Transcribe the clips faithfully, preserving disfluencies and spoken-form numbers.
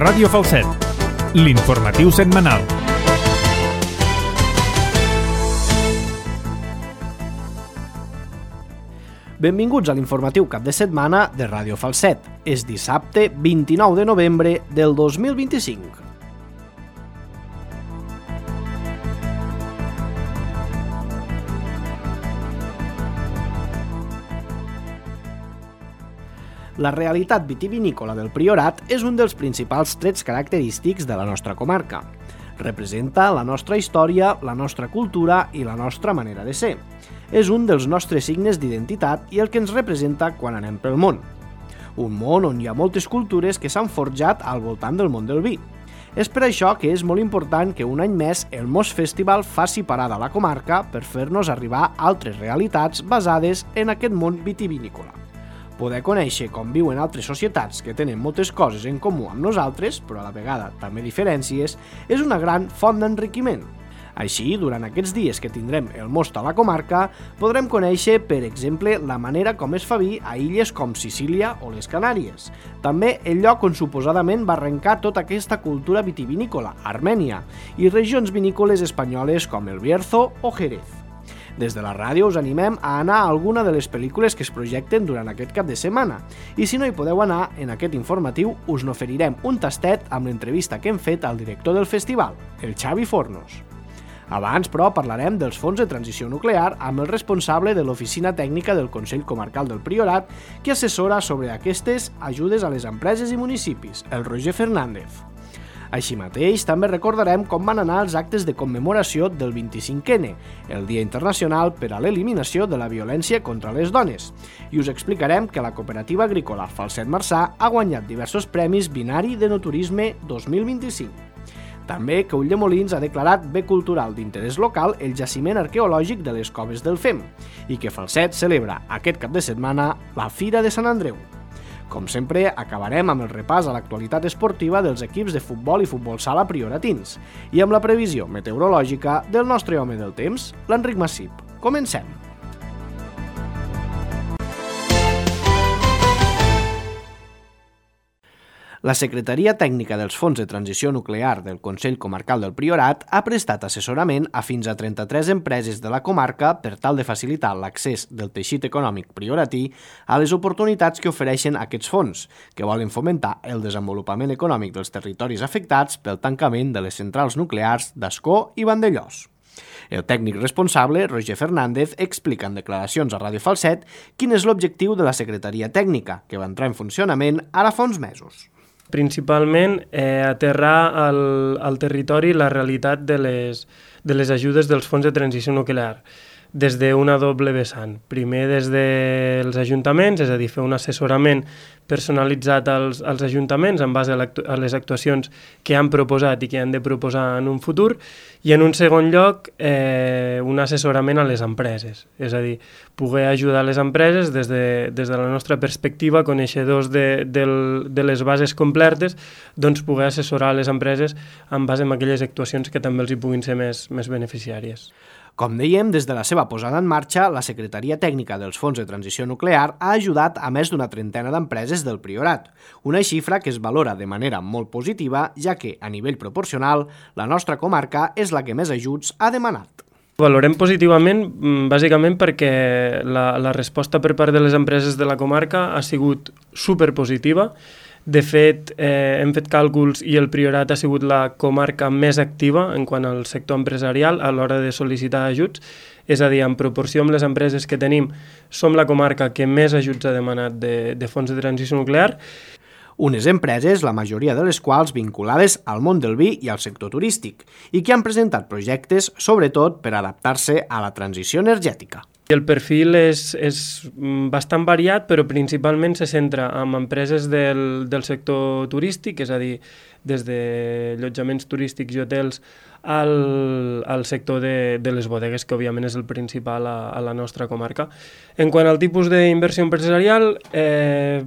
Ràdio Falset, l'informatiu setmanal. Benvinguts a l'informatiu cap de setmana de Ràdio Falset. És dissabte vint-i-nou de novembre del dos mil vint-i-cinc. La realitat vitivinícola del Priorat és un dels principals trets característics de la nostra comarca. Representa la nostra història, la nostra cultura i la nostra manera de ser. És un dels nostres signes d'identitat i el que ens representa quan anem pel món. Un món on hi ha moltes cultures que s'han forjat al voltant del món del vi. És per això que és molt important que un any més el Mos Festival faci parada a la comarca per fer-nos arribar altres realitats basades en aquest món vitivinícola. Poder conèixer com viuen altres societats que tenen moltes coses en comú amb nosaltres, però a la vegada també diferències, és una gran font d'enriquiment. Així, durant aquests dies que tindrem el most a la comarca, podrem conèixer, per exemple, la manera com es fa vi a illes com Sicília o les Canàries. També el lloc on suposadament va arrencar tota aquesta cultura vitivinícola, Armènia, i regions vinícoles espanyoles com el Bierzo o Jerez. Des de la ràdio us animem a anar a alguna de les pel·lícules que es projecten durant aquest cap de setmana. I si no hi podeu anar, en aquest informatiu us n'oferirem un tastet amb l'entrevista que hem fet al director del festival, el Xavi Fornos. Abans, però, parlarem dels fons de transició nuclear amb el responsable de l'Oficina Tècnica del Consell Comarcal del Priorat, que assessora sobre aquestes ajudes a les empreses i municipis, el Roger Fernández. Així mateix, també recordarem com van anar els actes de commemoració del vint-i-cinc ene, el Dia Internacional per a l'Eliminació de la Violència contra les Dones, i us explicarem que la cooperativa agrícola Falset Marçà ha guanyat diversos premis Binari d'Enoturisme dos mil vint-i-cinc. També que Ulldemolins ha declarat bé cultural d'interès local el jaciment arqueològic de les Coves del Fem i que Falset celebra aquest cap de setmana la Fira de Sant Andreu. Com sempre, acabarem amb el repàs a l'actualitat esportiva dels equips de futbol i futbol sala prioratins i amb la previsió meteorològica del nostre home del temps, l'Enric Massip. Comencem! La Secretaria Tècnica dels Fons de Transició Nuclear del Consell Comarcal del Priorat ha prestat assessorament a fins a trenta-tres empreses de la comarca per tal de facilitar l'accés del teixit econòmic prioratí a les oportunitats que ofereixen aquests fons, que volen fomentar el desenvolupament econòmic dels territoris afectats pel tancament de les centrals nuclears d'Ascó i Vandellòs. El tècnic responsable, Roger Fernández, explica en declaracions a Ràdio Falset quin és l'objectiu de la Secretaria Tècnica, que va entrar en funcionament ara fa uns mesos. Principalment eh, aterrar al, al territori la realitat de les, de les ajudes dels fons de transició nuclear, des d'una doble vessant. Primer des dels ajuntaments, és a dir, fer un assessorament personalitzat als, als ajuntaments en base a, a les actuacions que han proposat i que han de proposar en un futur, i en un segon lloc eh, un assessorament a les empreses, és a dir, poder ajudar les empreses des de, des de la nostra perspectiva, coneixedors de, de, de les bases completes, doncs poder assessorar les empreses en base a aquelles actuacions que també els hi puguin ser més, més beneficiàries. Com dèiem, des de la seva posada en marxa, la Secretaria Tècnica dels Fons de Transició Nuclear ha ajudat a més d'una trentena d'empreses del Priorat, una xifra que es valora de manera molt positiva, ja que, a nivell proporcional, la nostra comarca és la que més ajuts ha demanat. Valorem positivament, bàsicament perquè la, la resposta per part de les empreses de la comarca ha sigut superpositiva. De fet, eh, hem fet càlculs i el Priorat ha sigut la comarca més activa en quant al sector empresarial a l'hora de sol·licitar ajuts, és a dir, en proporció amb les empreses que tenim, som la comarca que més ajuts ha demanat de, de fons de transició nuclear. Unes empreses, la majoria de les quals vinculades al món del vi i al sector turístic, i que han presentat projectes, sobretot, per adaptar-se a la transició energètica. El perfil és, és bastant variat, però principalment se centra en empreses del, del sector turístic, és a dir, des de allotjaments turístics i hotels al, al sector de, de les bodegues, que òbviament és el principal a, a la nostra comarca. En quant al tipus d'inversió empresarial, eh,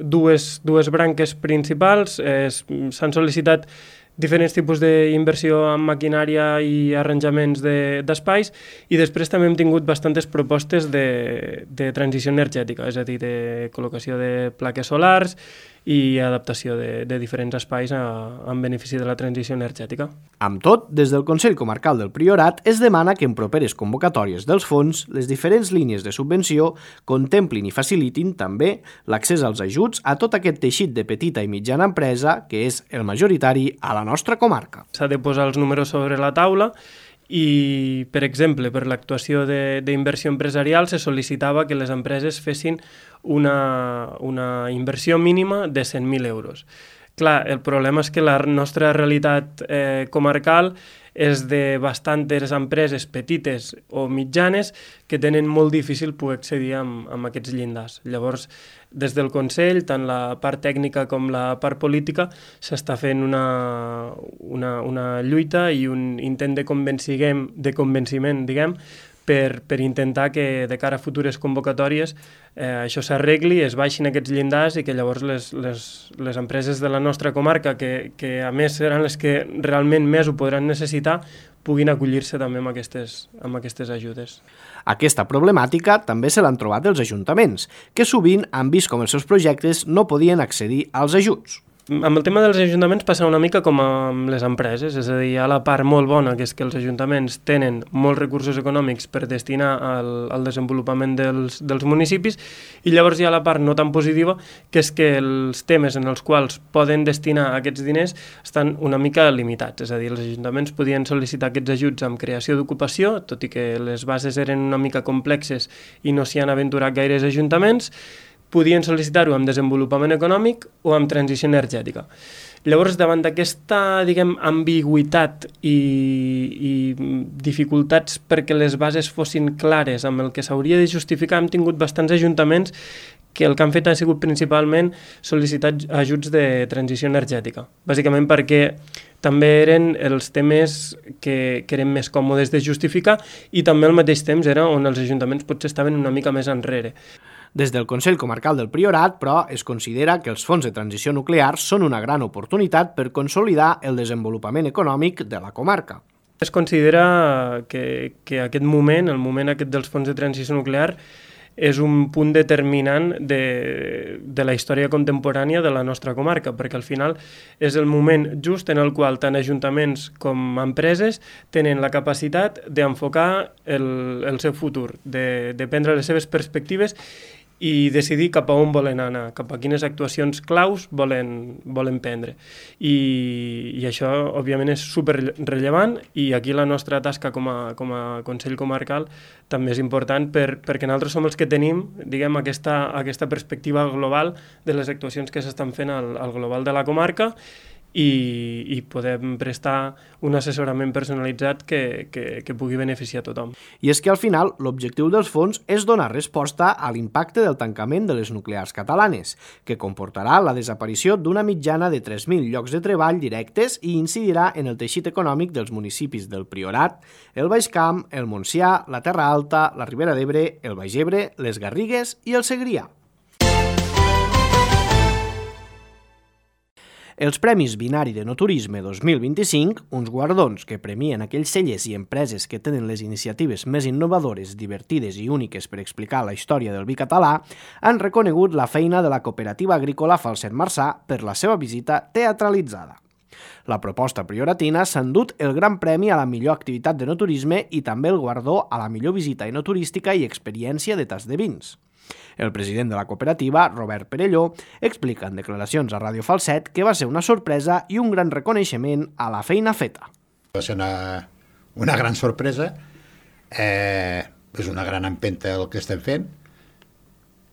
dues, dues branques principals, eh, s'han sol·licitat diferents tipus d'inversió en maquinària i arranjaments d'espais, i després també hem tingut bastantes propostes de, de transició energètica, és a dir, de col·locació de plaques solars i adaptació de, de diferents espais a, en benefici de la transició energètica. Amb tot, des del Consell Comarcal del Priorat es demana que en properes convocatòries dels fons les diferents línies de subvenció contemplin i facilitin també l'accés als ajuts a tot aquest teixit de petita i mitjana empresa que és el majoritari a la nostra comarca. S'ha de posar els números sobre la taula i, per exemple, per l'actuació d'inversió empresarial se sol·licitava que les empreses fessin una, una inversió mínima de cent mil euros. Clar, el problema és que la nostra realitat eh, comarcal és de bastantes empreses petites o mitjanes que tenen molt difícil poder accedir amb, amb aquests llindars. Llavors, des del Consell, tant la part tècnica com la part política, s'està fent una, una, una lluita i un intent de convenciment, de convenciment diguem, per, per intentar que de cara a futures convocatòries eh, això s'arregli, es baixin aquests llindars i que llavors les, les, les empreses de la nostra comarca, que, que a més seran les que realment més ho podran necessitar, puguin acollir-se també amb aquestes, amb aquestes ajudes. Aquesta problemàtica també se l'han trobat els ajuntaments, que sovint han vist com els seus projectes no podien accedir als ajuts. Amb el tema dels ajuntaments passa una mica com amb les empreses, és a dir, hi ha la part molt bona, que és que els ajuntaments tenen molts recursos econòmics per destinar al, al desenvolupament dels, dels municipis, i llavors hi ha la part no tan positiva, que és que els temes en els quals poden destinar aquests diners estan una mica limitats, és a dir, els ajuntaments podien sol·licitar aquests ajuts amb creació d'ocupació, tot i que les bases eren una mica complexes i no s'hi han aventurat gaires ajuntaments, podien sol·licitar-ho amb desenvolupament econòmic o amb transició energètica. Llavors, davant d'aquesta, diguem, ambigüitat i, i dificultats perquè les bases fossin clares amb el que s'hauria de justificar, hem tingut bastants ajuntaments que el que han fet ha sigut principalment sol·licitar ajuts de transició energètica, bàsicament perquè també eren els temes que, que eren més còmodes de justificar i també al mateix temps era on els ajuntaments potser estaven una mica més enrere. Des del Consell Comarcal del Priorat, però, es considera que els fons de transició nuclear són una gran oportunitat per consolidar el desenvolupament econòmic de la comarca. Es considera que, que aquest moment, el moment aquest dels fons de transició nuclear, és un punt determinant de, de la història contemporània de la nostra comarca, perquè al final és el moment just en el qual tant ajuntaments com empreses tenen la capacitat d'enfocar el, el seu futur, de, de prendre les seves perspectives i decidir cap a on volen anar, cap a quines actuacions claus volen, volen prendre. I, i això, òbviament, és superrellevant i aquí la nostra tasca com a, com a Consell Comarcal també és important per, perquè nosaltres som els que tenim, diguem, aquesta, aquesta perspectiva global de les actuacions que s'estan fent al, al global de la comarca i, i podem prestar un assessorament personalitzat que, que, que pugui beneficiar a tothom. I és que al final l'objectiu dels fons és donar resposta a l'impacte del tancament de les nuclears catalanes, que comportarà la desaparició d'una mitjana de tres mil llocs de treball directes i incidirà en el teixit econòmic dels municipis del Priorat, el Baix Camp, el Montsià, la Terra Alta, la Ribera d'Ebre, el Baix Ebre, les Garrigues i el Segrià. Els Premis Binari de No Turisme dos mil vint-i-cinc, uns guardons que premien aquells cellers i empreses que tenen les iniciatives més innovadores, divertides i úniques per explicar la història del vi català, han reconegut la feina de la cooperativa agrícola Falset Marçà per la seva visita teatralitzada. La proposta prioratina s'ha endut el Gran Premi a la millor activitat de no turisme i també el guardó a la millor visita enoturística i experiència de tas de vins. El president de la cooperativa, Robert Perelló, explica en declaracions a Ràdio Falset que va ser una sorpresa i un gran reconeixement a la feina feta. Va ser una, una gran sorpresa, eh, és una gran empenta el que estem fent.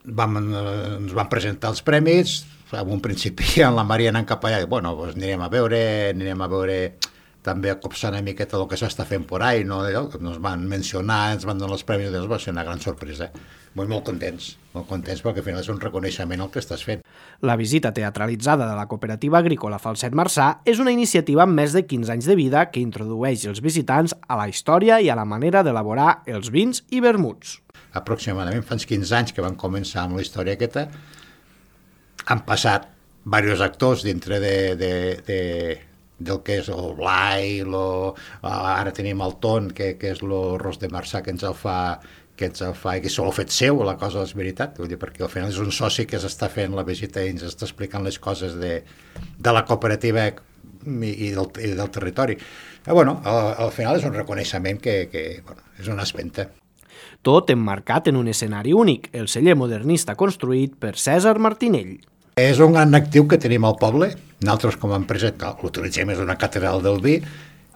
Vam, ens van presentar els premis, en un principi en la Maria anant cap allà, bueno, doncs anirem a veure, anirem a veure també a copsar una miqueta el que s'està fent por ahí, no? Ens van mencionar, ens van donar els premis, doncs va ser una gran sorpresa. Molt, molt contents, molt contents perquè al final és un reconeixement el que estàs fent. La visita teatralitzada de la cooperativa agrícola Falset Marçà és una iniciativa amb més de quinze anys de vida que introdueix els visitants a la història i a la manera d'elaborar els vins i vermuts. Aproximadament fa uns quinze anys que van començar amb la història aquesta. Han passat diversos actors dintre de, de, de, del que és el Blai, lo, ara tenim el Ton, que, que és el Ros de Marçà, que ens el fa que ens el fa i que se l'ha fet seu, la cosa és veritat, vull dir, perquè al final és un soci que s'està fent la visita i ens està explicant les coses de, de la cooperativa i, i, del, i del territori. Però, bueno, al, al final és un reconeixement que, que bueno, és una espenta. Tot emmarcat en un escenari únic, el celler modernista construït per Cèsar Martinell. És un gran actiu que tenim al poble. Nosaltres, com a empresa, l'utilitzem, és una catedral del vi.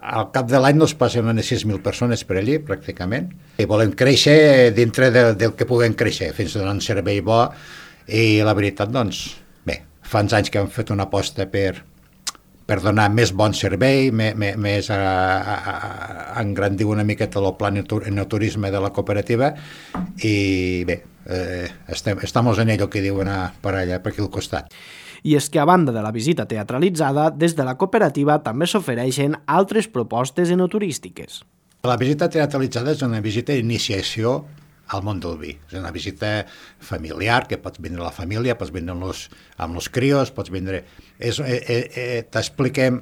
Al cap de l'any nos passen unes sis mil persones per allí, pràcticament. I volem créixer dintre de, del que puguem créixer, fins a donar un servei bo. I la veritat, doncs, bé, fa uns anys que hem fet una aposta per, per donar més bon servei, més, més a, a, a engrandir una miqueta el pla enoturisme de la cooperativa i bé, eh, estem, estamos en ello, que diuen a, per allà, per aquí al costat. I és que a banda de la visita teatralitzada, des de la cooperativa també s'ofereixen altres propostes enoturístiques. La visita teatralitzada és una visita d'iniciació al món del vi. És una visita familiar, que pots vindre a la família, pots vindre amb els, amb els crios, pots vindre... És, eh, eh, t'expliquem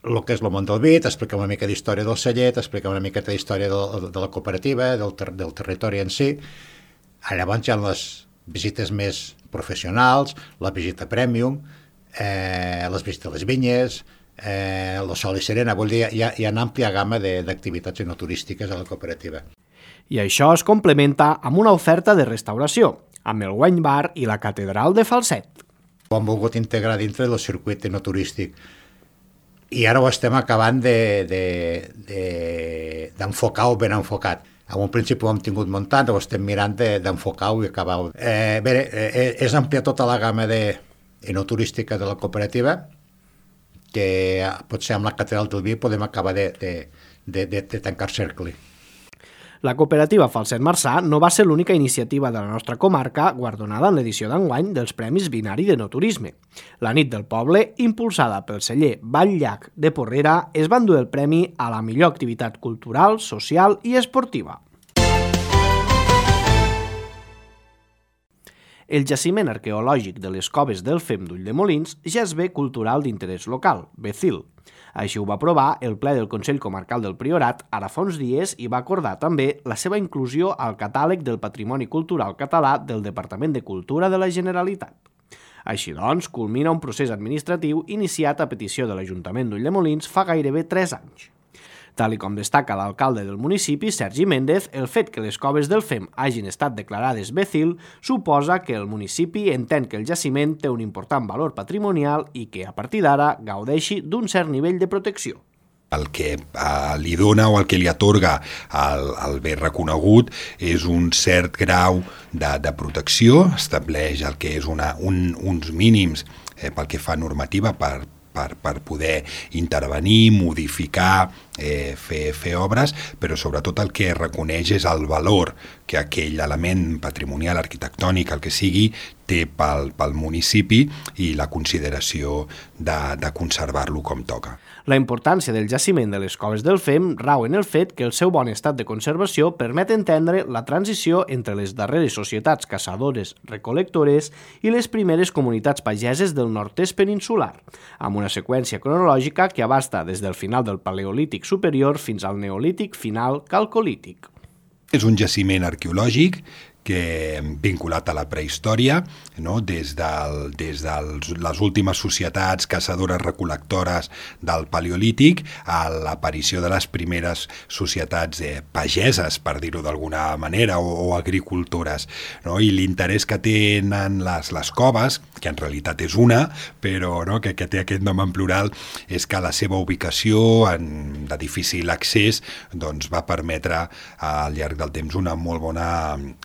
el que és el món del vi, t'expliquem una mica d'història del celler, t'expliquem una mica d'història de, de la cooperativa, del, ter, del territori en si. Llavors hi ha les visites més professionals, la visita premium, eh, les visites a les vinyes, eh, el sol i serena, vull dir, hi ha, hi ha una àmplia gamma d'activitats enoturístiques a la cooperativa. I això es complementa amb una oferta de restauració, amb el Wine Bar i la Catedral de Falset. Ho hem volgut integrar dintre del circuit enoturístic i ara ho estem acabant d'enfocar de, de, o ben enfocat. En un principi ho hem tingut muntat, ho estem mirant d'enfocar-ho i acabar-ho. Eh, bé, eh, és ampliar tota la gamma de enoturística de la cooperativa, que potser amb la Catedral del Vi podem acabar de, de, de, de, de tancar cercle. La cooperativa Falset Marçà no va ser l'única iniciativa de la nostra comarca guardonada en l'edició d'enguany dels Premis Binari d'Enoturisme. La nit del poble, impulsada pel celler Vall-llac de Porrera, es va endur el premi a la millor activitat cultural, social i esportiva. El jaciment arqueològic de les coves del Fem d'Ulldemolins ja és bé cultural d'interès local, Becil. Així ho va aprovar el ple del Consell Comarcal del Priorat ara fa uns dies i va acordar també la seva inclusió al catàleg del Patrimoni Cultural Català del Departament de Cultura de la Generalitat. Així doncs, culmina un procés administratiu iniciat a petició de l'Ajuntament d'Ulldemolins fa gairebé tres anys. Tal com destaca l'alcalde del municipi, Sergi Méndez, el fet que les coves del Fem hagin estat declarades Becil suposa que el municipi entén que el jaciment té un important valor patrimonial i que, a partir d'ara, gaudeixi d'un cert nivell de protecció. El que eh, li dona o el que li atorga el, el bé reconegut és un cert grau de, de protecció, estableix el que és una, un, uns mínims eh, pel que fa normativa per Per, per poder intervenir, modificar, eh, fer, fer obres, però sobretot el que reconeix és el valor que aquell element patrimonial, arquitectònic, el que sigui, té pel, pel municipi i la consideració de, de conservar-lo com toca. La importància del jaciment de les coves del Fem rau en el fet que el seu bon estat de conservació permet entendre la transició entre les darreres societats caçadores recol·lectores i les primeres comunitats pageses del nord-est peninsular, amb una seqüència cronològica que abasta des del final del Paleolític superior fins al Neolític final calcolític. És un jaciment arqueològic que vinculat a la prehistòria, no? des de des de les últimes societats caçadores recol·lectores del Paleolític a l'aparició de les primeres societats eh, pageses, per dir-ho d'alguna manera, o, o agricultores. No? I l'interès que tenen les, les coves, que en realitat és una, però no? que, que té aquest nom en plural, és que la seva ubicació en, de difícil accés doncs, va permetre al llarg del temps una molt bona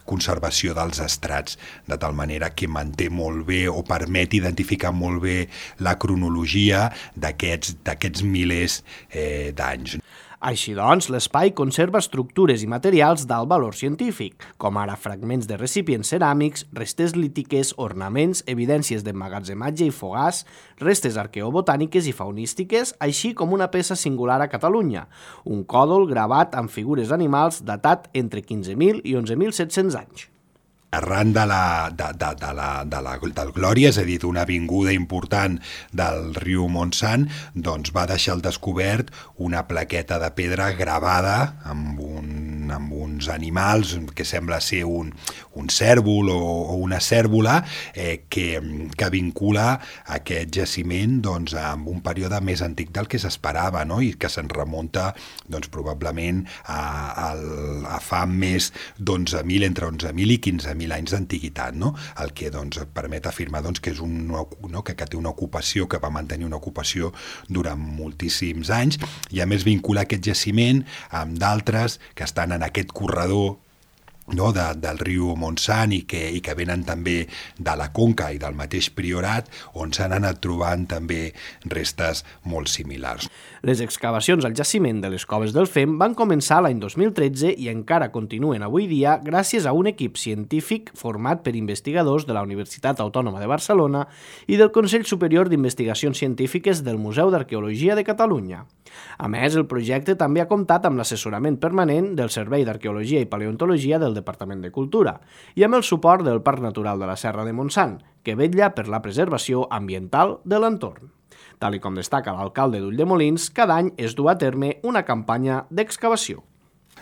conservació dels estrats, de tal manera que manté molt bé o permet identificar molt bé la cronologia d'aquests d'aquests milers eh, d'anys. Així doncs, l'espai conserva estructures i materials d'alt valor científic, com ara fragments de recipients ceràmics, restes lítiques, ornaments, evidències d'emmagatzematge i fogars, restes arqueobotàniques i faunístiques, així com una peça singular a Catalunya, un còdol gravat amb figures animals datat entre quinze mil i onze mil set-cents anys. Arran de la, de, de, de la, de la, del Glòria, és a dir, d'una avinguda important del riu Montsant, doncs va deixar al descobert una plaqueta de pedra gravada amb un, amb un uns animals que sembla ser un, un cèrvol o, o una cèrvola eh, que, que vincula aquest jaciment doncs, amb un període més antic del que s'esperava, no? I que se'n remunta doncs, probablement a, a, a fa més d'onze mil, entre onze mil i quinze mil anys d'antiguitat, no? El que doncs, permet afirmar doncs, que, és un, no? que, que té una ocupació, que va mantenir una ocupació durant moltíssims anys, i a més vincula aquest jaciment amb d'altres que estan en aquest corredor, no, de, del riu Montsant i que, i que venen també de la Conca i del mateix Priorat, on s'han anat trobant també restes molt similars. Les excavacions al jaciment de les Coves del Fem van començar l'any dos mil tretze i encara continuen avui dia gràcies a un equip científic format per investigadors de la Universitat Autònoma de Barcelona i del Consell Superior d'Investigacions Científiques del Museu d'Arqueologia de Catalunya. A més, el projecte també ha comptat amb l'assessorament permanent del Servei d'Arqueologia i Paleontologia del Departament de Cultura i amb el suport del Parc Natural de la Serra de Montsant, que vetlla per la preservació ambiental de l'entorn. Tal i com destaca l'alcalde d'Ulldemolins, cada any es du a terme una campanya d'excavació.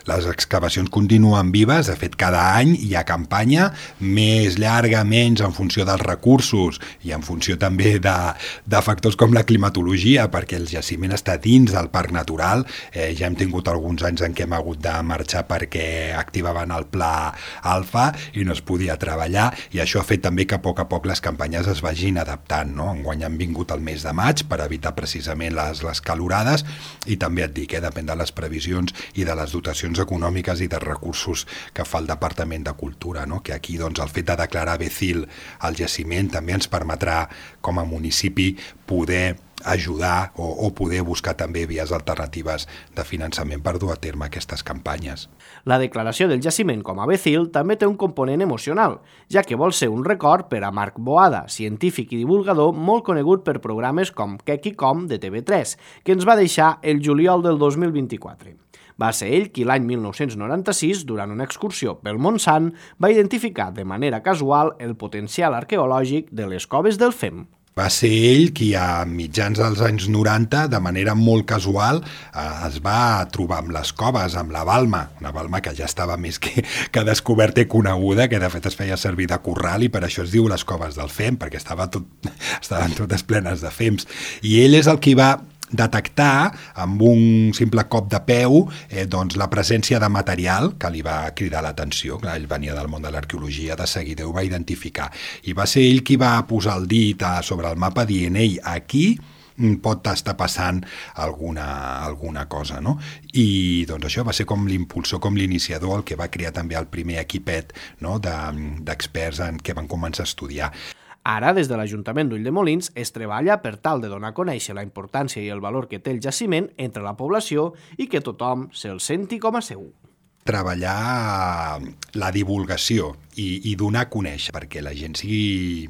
Les excavacions continuen vives, de fet cada any hi ha campanya, més llarga, menys, en funció dels recursos i en funció també de, de factors com la climatologia, perquè el jaciment està dins del parc natural. Eh, ja hem tingut alguns anys en què hem hagut de marxar perquè activaven el pla alfa i no es podia treballar, i això ha fet també que a poc a poc les campanyes es vagin adaptant, no? Enguany han vingut el mes de maig per evitar precisament les, les calorades, i també et dic, eh, depèn de les previsions i de les dotacions econòmiques i de recursos que fa el Departament de Cultura, no? Que aquí doncs, el fet de declarar Becil al jaciment també ens permetrà com a municipi poder ajudar o, o poder buscar també vies alternatives de finançament per dur a terme aquestes campanyes. La declaració del jaciment com a Becil també té un component emocional, ja que vol ser un record per a Marc Boada, científic i divulgador molt conegut per programes com Quec i Com de T V tres, que ens va deixar el juliol del dos mil vint-i-quatre. Va ser ell qui l'any mil nou-cents noranta-sis, durant una excursió pel Montsant, va identificar de manera casual el potencial arqueològic de les Coves del Fem. Va ser ell qui a mitjans dels anys noranta, de manera molt casual, eh, es va trobar amb les coves, amb la balma, una balma que ja estava més que, que descoberta i coneguda, que de fet es feia servir de corral, i per això es diu les Coves del Fem, perquè estava tot, estaven totes plenes de fems. I ell és el qui va detectar amb un simple cop de peu eh, doncs, la presència de material que li va cridar l'atenció. Ell venia del món de l'arqueologia, de seguida ho va identificar, i va ser ell qui va posar el dit a, sobre el mapa dient: ei, aquí pot estar passant alguna, alguna cosa, no? I doncs això va ser com l'impulsor, com l'iniciador, el que va crear també el primer equipet, no? de, d'experts en què van començar a estudiar. Ara, des de l'Ajuntament d'Ulldemolins, es treballa per tal de donar a conèixer la importància i el valor que té el jaciment entre la població i que tothom se'l senti com a seu. Treballar la divulgació i, i donar a conèixer, perquè la gent sigui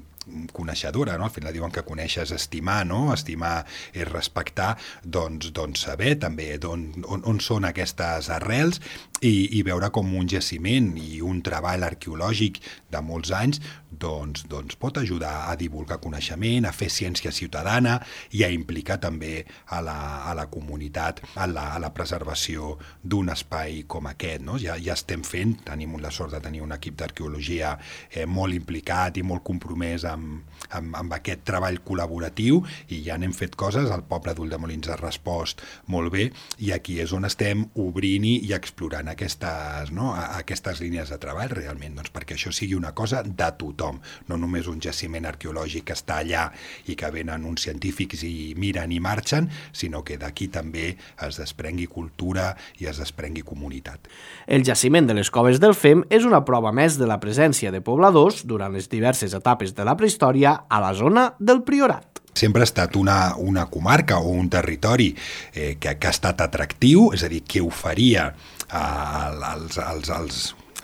coneixedora, no? Al final diuen que conèixer és estimar, no? Estimar és respectar, doncs, doncs saber també on, on, on són aquestes arrels i, i veure com un jaciment i un treball arqueològic de molts anys doncs, doncs pot ajudar a divulgar coneixement, a fer ciència ciutadana i a implicar també a la, a la comunitat a la, a la preservació d'un espai com aquest, no? Ja, ja estem fent, tenim la sort de tenir un equip d'arqueologia eh, molt implicat i molt compromès amb, amb, amb aquest treball col·laboratiu, i ja n'hem fet coses, el poble d'Ulldemolins ha respost molt bé, i aquí és on estem obrint i explorant aquestes, no? aquestes línies de treball realment, doncs perquè això sigui una cosa de tothom, no només un jaciment arqueològic que està allà i que venen uns científics i miren i marxen, sinó que d'aquí també es desprengui cultura i es desprengui comunitat. El jaciment de les Coves del Fem és una prova més de la presència de pobladors durant les diverses etapes de la prehistòria a la zona del Priorat. Sempre ha estat una, una comarca o un territori eh, que, que ha estat atractiu, és a dir, que oferia eh, als, als, als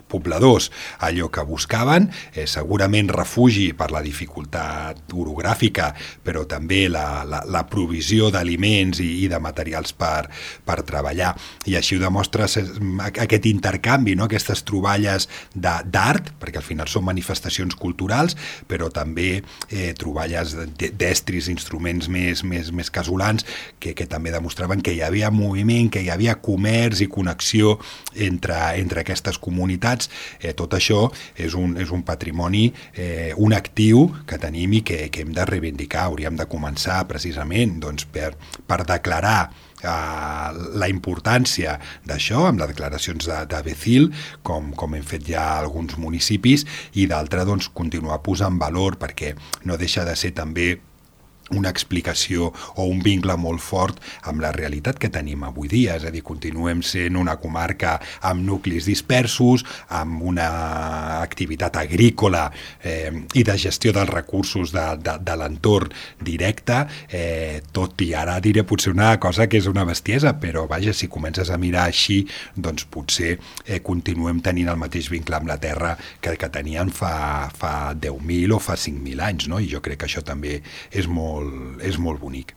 pobladors allò que buscaven, eh, segurament refugi per la dificultat orogràfica, però també la, la, la provisió d'aliments i, i de materials per, per treballar. I així ho demostra aquest intercanvi, no? Aquestes troballes d'art, perquè al final són manifestacions culturals, però també eh, troballes d'estris, instruments més, més, més casolans, que, que també demostraven que hi havia moviment, que hi havia comerç i connexió entre, entre aquestes comunitats. Eh, tot això és un, és un patrimoni, eh, un actiu que tenim i que, que hem de reivindicar. Hauríem de començar precisament doncs, per, per declarar uh, la importància d'això, amb les declaracions de, de Becil, com, com hem fet ja alguns municipis, i d'altre doncs, continuar posant valor, perquè no deixa de ser també una explicació o un vincle molt fort amb la realitat que tenim avui dia, és a dir, continuem sent una comarca amb nuclis dispersos, amb una activitat agrícola eh, i de gestió dels recursos de, de, de l'entorn directe, eh, tot i ara diré potser una cosa que és una bestiesa, però vaja, si comences a mirar així, doncs potser eh, continuem tenint el mateix vincle amb la terra que, que tenien fa, fa deu mil o fa cinc mil anys, no? I jo crec que això també és molt és molt bonic.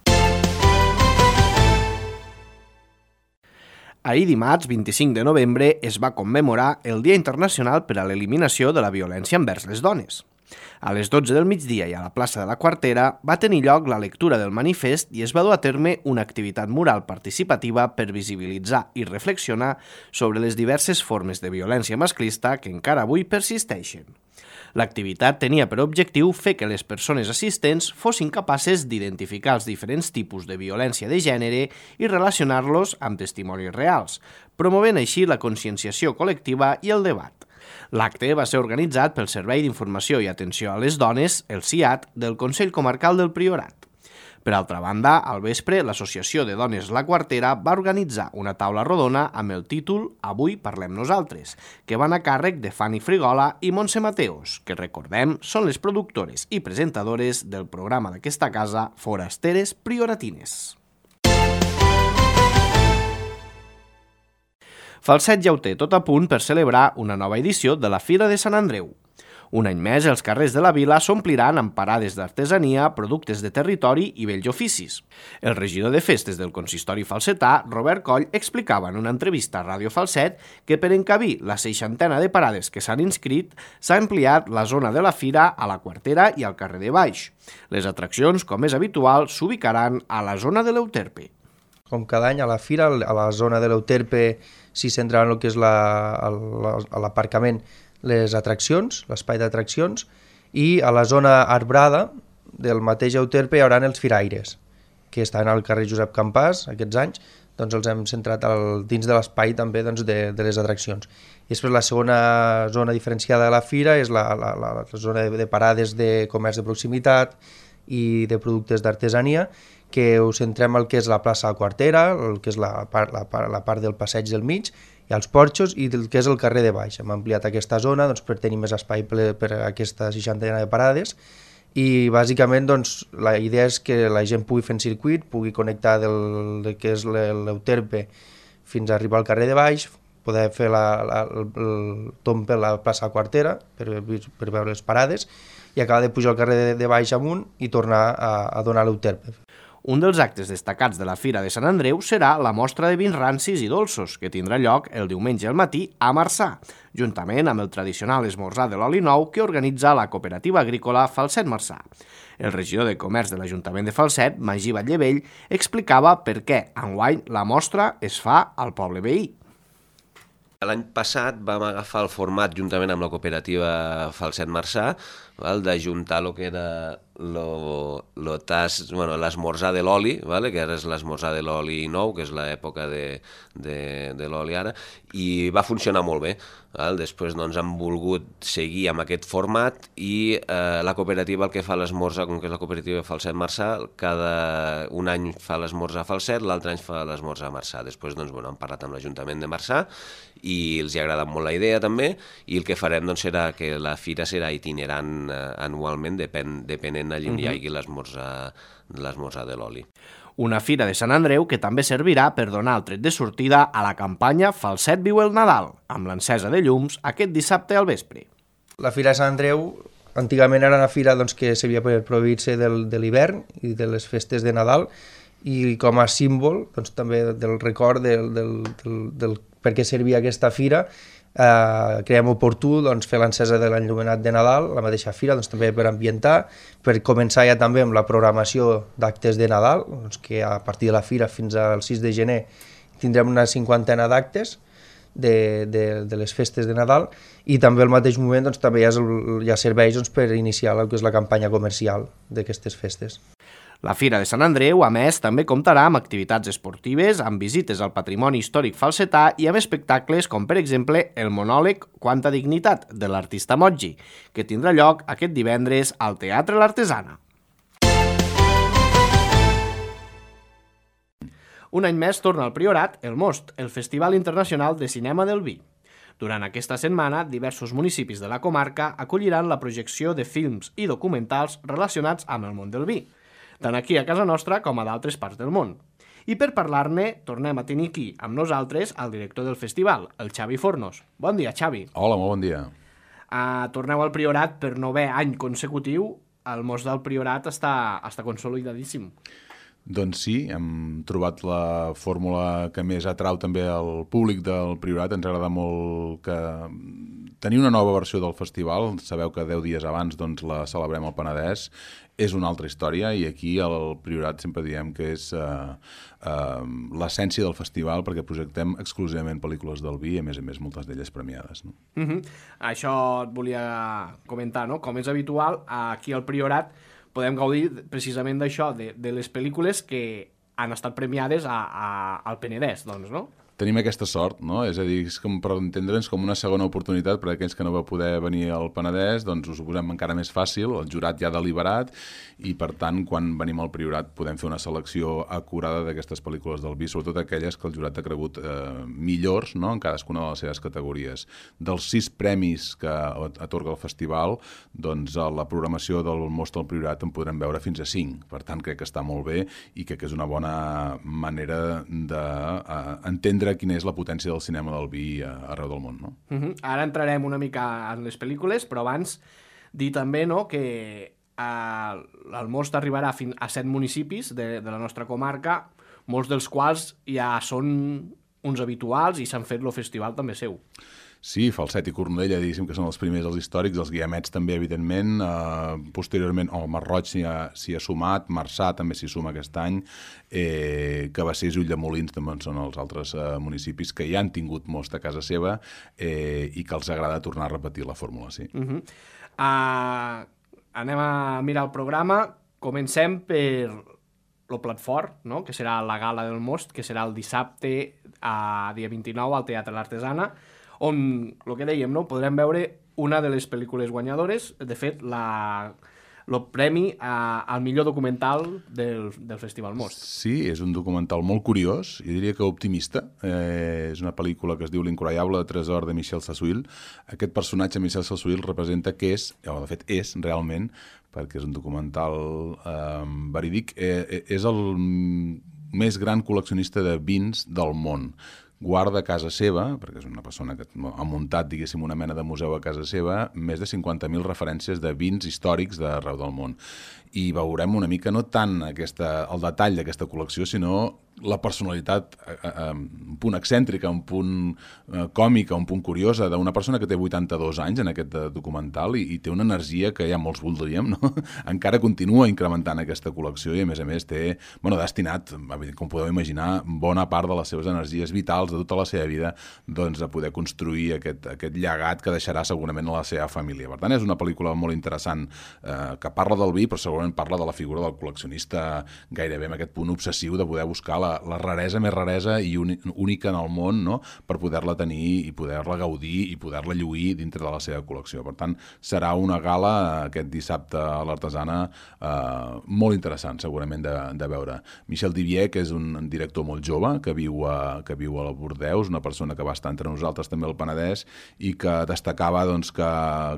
Ahir dimarts, vint-i-cinc de novembre, es va commemorar el Dia Internacional per a l'Eliminació de la Violència envers les Dones. A les dotze del migdia i a la plaça de la Quartera va tenir lloc la lectura del manifest i es va dur a terme una activitat mural participativa per visibilitzar i reflexionar sobre les diverses formes de violència masclista que encara avui persisteixen. L'activitat tenia per objectiu fer que les persones assistents fossin capaces d'identificar els diferents tipus de violència de gènere i relacionar-los amb testimonis reals, promovent així la conscienciació col·lectiva i el debat. L'acte va ser organitzat pel Servei d'Informació i Atenció a les Dones, el C I A T, del Consell Comarcal del Priorat. Per altra banda, al vespre, l'Associació de Dones La Quartera va organitzar una taula rodona amb el títol Avui parlem nosaltres, que van a càrrec de Fanny Frigola i Montse Mateos, que recordem són les productores i presentadores del programa d'aquesta casa Forasteres Prioratines. Falset ja ho té tot a punt per celebrar una nova edició de la Fira de Sant Andreu. Un any més, els carrers de la vila s'ompliran amb parades d'artesania, productes de territori i vells oficis. El regidor de festes del consistori falsetà, Robert Coll, explicava en una entrevista a Ràdio Falset que per encabir la seixantena de parades que s'han inscrit, s'ha ampliat la zona de la fira a la Quartera i al carrer de Baix. Les atraccions, com és habitual, s'ubicaran a la zona de l'Euterpe. Com cada any a la fira, a la zona de l'Euterpe s'hi centraran el que és l'aparcament, les atraccions, l'espai d'atraccions, i a la zona arbrada del mateix Euterpe hi haurà els firaires, que estan al carrer Josep Campàs aquests anys, doncs els hem centrat al, dins de l'espai també doncs, de, de les atraccions. I després la segona zona diferenciada de la fira és la, la, la, la zona de, de parades de comerç de proximitat i de productes d'artesania, que us centrem al que és la plaça Quartera, el que és la part, la, part, la part del passeig del mig, i els porxos i el que és el carrer de Baix. Hem ampliat aquesta zona doncs, per tenir més espai per, per aquesta seixantena de parades i bàsicament doncs, la idea és que la gent pugui fer un circuit, pugui connectar del, del que és l'Euterpe fins a arribar al carrer de Baix, poder fer la, la, el, el tomb per la plaça Quartera per, per veure les parades i acabar de pujar al carrer de, de Baix amunt i tornar a, a donar l'Euterpe. Un dels actes destacats de la Fira de Sant Andreu serà la mostra de vins rancis i dolços, que tindrà lloc el diumenge al matí a Marçà, juntament amb el tradicional esmorzar de l'oli nou que organitza la cooperativa agrícola Falset Marçà. El regidor de Comerç de l'Ajuntament de Falset, Magí Batllevell, explicava per què enguany la mostra es fa al poble veí. L'any passat vam agafar el format, juntament amb la cooperativa Falset Marçà, d'ajuntar el que era lo, lo tas, bueno, l'esmorzar de l'oli, vale? Que ara és l'esmorzar de l'oli nou, que és l'època de, de, de l'oli ara, i va funcionar molt bé. Val? Després doncs, hem volgut seguir amb aquest format i eh, la cooperativa el que fa l'esmorzar, com que és la cooperativa Falset Marçà, cada un any fa l'esmorzar a Falset, l'altre any fa l'esmorzar a Marçà. Després doncs, bueno, hem parlat amb l'Ajuntament de Marçà i els ha agradat molt la idea també, i el que farem doncs, serà que la fira serà itinerant eh, anualment, depen, depenent allà on hi hagi l'esmorzar l'esmorzar de l'oli. Una fira de Sant Andreu que també servirà per donar el tret de sortida a la campanya Falset viu el Nadal, amb l'encesa de llums aquest dissabte al vespre. La Fira de Sant Andreu antigament era una fira doncs, que servia per proveir-se del, de l'hivern i de les festes de Nadal, i com a símbol doncs, també del record del, del, del, del per què servia aquesta fira, eh, creiem oportú doncs, fer l'encesa de l'enllumenat de Nadal, la mateixa fira, doncs, també per ambientar, per començar ja també amb la programació d'actes de Nadal, doncs, que a partir de la fira fins al sis de gener tindrem una cinquantena d'actes de, de, de les festes de Nadal, i també al mateix moment doncs, també hi ha, hi ha serveis doncs, per iniciar el que és la campanya comercial d'aquestes festes. La Fira de Sant Andreu, a més, també comptarà amb activitats esportives, amb visites al patrimoni històric falsetà i amb espectacles com, per exemple, el monòleg Quanta dignitat, de l'artista Moggi, que tindrà lloc aquest divendres al Teatre l'Artesana. Un any més torna al Priorat el Most, el Festival Internacional de Cinema del Vi. Durant aquesta setmana, diversos municipis de la comarca acolliran la projecció de films i documentals relacionats amb el món del vi, tant aquí a casa nostra com a d'altres parts del món. I per parlar-ne, tornem a tenir aquí amb nosaltres el director del festival, el Xavi Fornos. Bon dia, Xavi. Hola, molt bon dia. Uh, torneu al Priorat per novè any consecutiu. El Most del Priorat està, està consolidadíssim. Doncs sí, hem trobat la fórmula que més atrau també al públic del Priorat. Ens agrada molt que tenir una nova versió del festival. Sabeu que deu dies abans doncs, la celebrem al Penedès. És una altra història i aquí al Priorat sempre diem que és uh, uh, l'essència del festival, perquè projectem exclusivament pel·lícules del vi i a més a més moltes d'elles premiades. No? Uh-huh. Això et volia comentar, no? Com és habitual, aquí al Priorat podem gaudir precisament d'això, de, de les pel·lícules que han estat premiades a, a, al Penedès, doncs, no? Tenim aquesta sort, no? És a dir, és com, per entendre'ns com una segona oportunitat per a aquells que no va poder venir al Penedès, doncs us ho posem encara més fàcil, el jurat ja ha deliberat, i per tant, quan venim al Priorat podem fer una selecció acurada d'aquestes pel·lícules del vi, sobretot aquelles que el jurat ha cregut eh, millors, no?, en cadascuna de les seves categories. Dels sis premis que atorga el festival, doncs a la programació del Most al Priorat en podrem veure fins a cinc. Per tant, crec que està molt bé i crec que és una bona manera d'entendre quina és la potència del cinema del vi arreu del món, no? Uh-huh. Ara entrarem una mica en les pel·lícules, però abans dir també, no?, que eh, el Most arribarà fins a set municipis de, de la nostra comarca, molts dels quals ja són uns habituals i s'han fet el festival també seu. Sí, Falset i Cornudella, diguéssim que són els primers, els històrics, els Guiamets també, evidentment, eh, posteriorment, oh, el Masroig s'hi ha, s'hi ha sumat, Marçà també s'hi suma aquest any, eh, Cabassers i Ulldemolins també són els altres eh, municipis que ja han tingut most a casa seva eh, i que els agrada tornar a repetir la fórmula, sí. Uh-huh. uh, anem a mirar el programa, comencem per el plat fort, no?, que serà la gala del Most, que serà el dissabte, a dia vint-i-nou, al Teatre l'Artesana, on, el que dèiem, no?, podrem veure una de les pel·lícules guanyadores, de fet, la, el premi a, al millor documental del, del Festival Most. Sí, és un documental molt curiós, jo diria que optimista. Eh, és una pel·lícula que es diu L'incroyable tresor de Michel Sassuil. Aquest personatge, Michel Sassuil, representa que és, o de fet és realment, perquè és un documental eh, verídic, eh, és el més gran col·leccionista de vins del món. Guarda a casa seva, perquè és una persona que ha muntat, diguéssim, una mena de museu a casa seva, més de cinquanta mil referències de vins històrics d'arreu del món. I veurem una mica no tant aquesta, el detall d'aquesta col·lecció, sinó la personalitat, eh, un punt excèntrica, un punt eh, còmica, un punt curiosa, d'una persona que té vuitanta-dos anys en aquest documental i, i té una energia que ja molts voldríem, no? Encara continua incrementant aquesta col·lecció i, a més a més, té, bueno, destinat, com podeu imaginar, bona part de les seves energies vitals de tota la seva vida, doncs, a poder construir aquest, aquest llegat que deixarà segurament a la seva família. Per tant, és una pel·lícula molt interessant eh, que parla del vi, però segurament parla de la figura del col·leccionista gairebé amb aquest punt obsessiu de poder buscar la, la, la raresa més raresa i única en el món, no?, per poder-la tenir i poder-la gaudir i poder-la lluir dintre de la seva col·lecció. Per tant, serà una gala aquest dissabte a l'Artesana eh, molt interessant, segurament, de, de veure. Michel Divier, que és un director molt jove, que viu a, que viu a Bordeus, una persona que va estar entre nosaltres també al Penedès i que destacava doncs, que,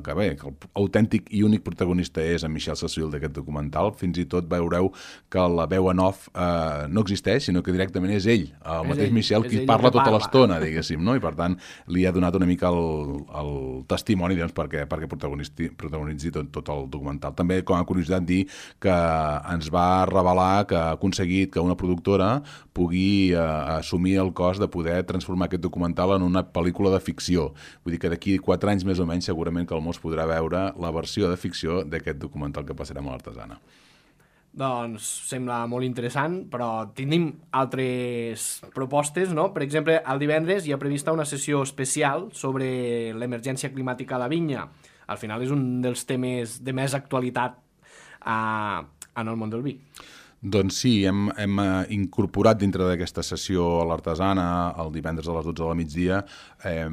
que bé, que l'autèntic i únic protagonista és en Michel Sassuil d'aquest documental. Fins i tot veureu que la veu en off eh, no existeix, sinó que directament és ell, el és mateix ell, Michel, qui parla tota l'estona, diguéssim, no? I per tant li ha donat una mica el, el testimoni doncs, perquè, perquè protagonitzi, protagonitzi tot, tot el documental. També, com a curiositat, dir que ens va revelar que ha aconseguit que una productora pugui eh, assumir el cost de poder transformar aquest documental en una pel·lícula de ficció. Vull dir que d'aquí quatre anys més o menys segurament que el món podrà veure la versió de ficció d'aquest documental que passarem a l'Artesana. Doncs sembla molt interessant, però tenim altres propostes, no? Per exemple, el divendres hi ha prevista una sessió especial sobre l'emergència climàtica a la vinya. Al final és un dels temes de més actualitat a, en el món del vi. Doncs sí, hem, hem incorporat dintre d'aquesta sessió a l'Artesana, el divendres a les dotze del migdia, eh,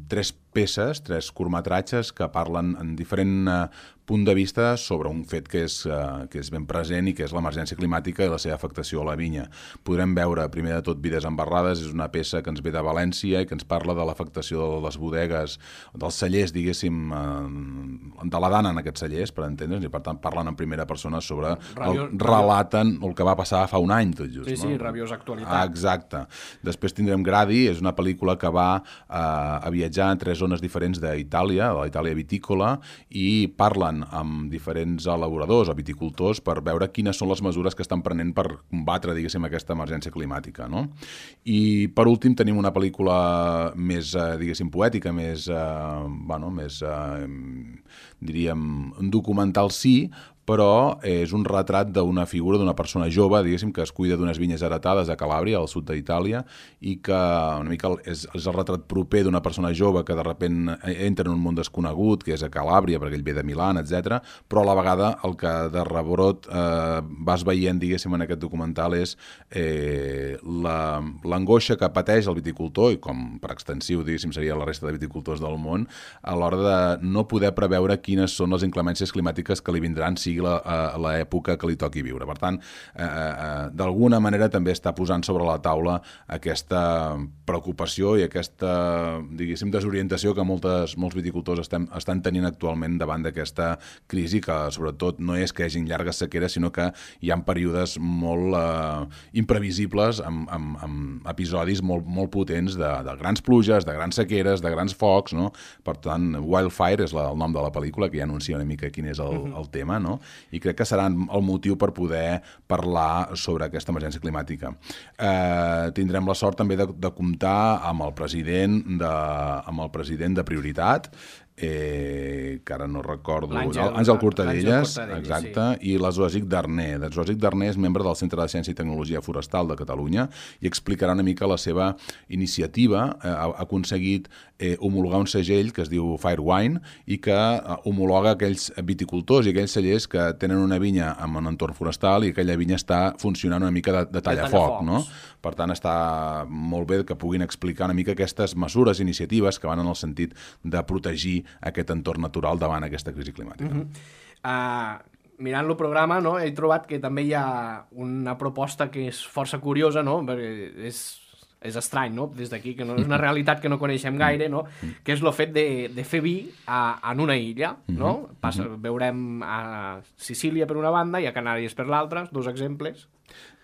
tres peces, tres curtmetratges que parlen en diferent eh, punt de vista sobre un fet que és, eh, que és ben present i que és l'emergència climàtica i la seva afectació a la vinya. Podrem veure, primer de tot, Vides embarrades, és una peça que ens ve de València i que ens parla de l'afectació de les bodegues, dels cellers, diguéssim, eh, de la dana en aquests cellers, per entendre's, i per tant parlen en primera persona sobre, Rabiós, el, relaten el que va passar fa un any, tot just. Sí, sí, no? rabiosa actualitat. Ah, exacte. Després tindrem Gradi, és una pel·lícula que va eh, a viatjar en tres zones diferents d'Itàlia, de la Itàlia vitícola, i parlen amb diferents elaboradors o viticultors per veure quines són les mesures que estan prenent per combatre, diguéssim, aquesta emergència climàtica, no? I per últim tenim una pel·lícula més, diguéssim, poètica, més, eh, bueno, més, eh, diríem, un documental sí, però és un retrat d'una figura d'una persona jove, diguéssim, que es cuida d'unes vinyes heretades a Calàbria, al sud d'Itàlia, i que una mica és, és el retrat proper d'una persona jove que de repent entra en un món desconegut, que és a Calàbria, perquè ell ve de Milan, etcètera, però a la vegada el que de rebrot eh, vas veient, diguéssim, en aquest documental és eh, l'angoixa que pateix el viticultor, i com per extensiu, diguéssim, seria la resta de viticultors del món, a l'hora de no poder preveure quines són les inclemències climàtiques que li vindran, si l'època que li toqui viure. Per tant, eh, eh, d'alguna manera també està posant sobre la taula aquesta preocupació i aquesta, diguéssim, desorientació que moltes, molts viticultors estem, estan tenint actualment davant d'aquesta crisi, que sobretot no és que hi hagin llargues sequeres, sinó que hi ha períodes molt eh, imprevisibles, amb, amb, amb episodis molt, molt potents de, de grans pluges, de grans sequeres, de grans focs, no? Per tant, Wildfire és la, el nom de la pel·lícula, que ja anuncia una mica quin és el, uh-huh. el tema, no? I crec que serà el motiu per poder parlar sobre aquesta emergència climàtica. Eh, tindrem la sort també de, de comptar amb el president de, amb el president de Prioritat, eh, que ara no recordo, Àngel Cortadelles, exacte, sí. I la Zoasic Darner. La Zoasic Darner és membre del Centre de Ciència i Tecnologia Forestal de Catalunya i explicarà una mica la seva iniciativa. Eh, ha, ha aconseguit eh, homologar un segell que es diu Firewine i que eh, homologa aquells viticultors i aquells cellers que tenen una vinya en un entorn forestal i aquella vinya està funcionant una mica de, de tallafoc, no? Per tant, està molt bé que puguin explicar una mica aquestes mesures, iniciatives que van en el sentit de protegir aquest entorn natural davant aquesta crisi climàtica. Uh-huh. uh, mirant el programa, no, he trobat que també hi ha una proposta que és força curiosa, no? Perquè és, és estrany, no? Des d'aquí, que no és una realitat que no coneixem gaire, no? Que és el fet de, de fer vi a, en una illa, no? Passa, veurem a Sicília per una banda i a Canàries per l'altra, dos exemples.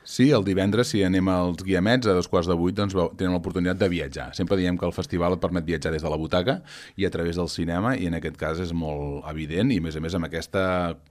Sí, el divendres, si anem als Guiamets, a dos quarts de vuit, doncs tenen l'oportunitat de viatjar. Sempre diem que el festival et permet viatjar des de la butaca i a través del cinema, i en aquest cas és molt evident, i a més a més amb aquesta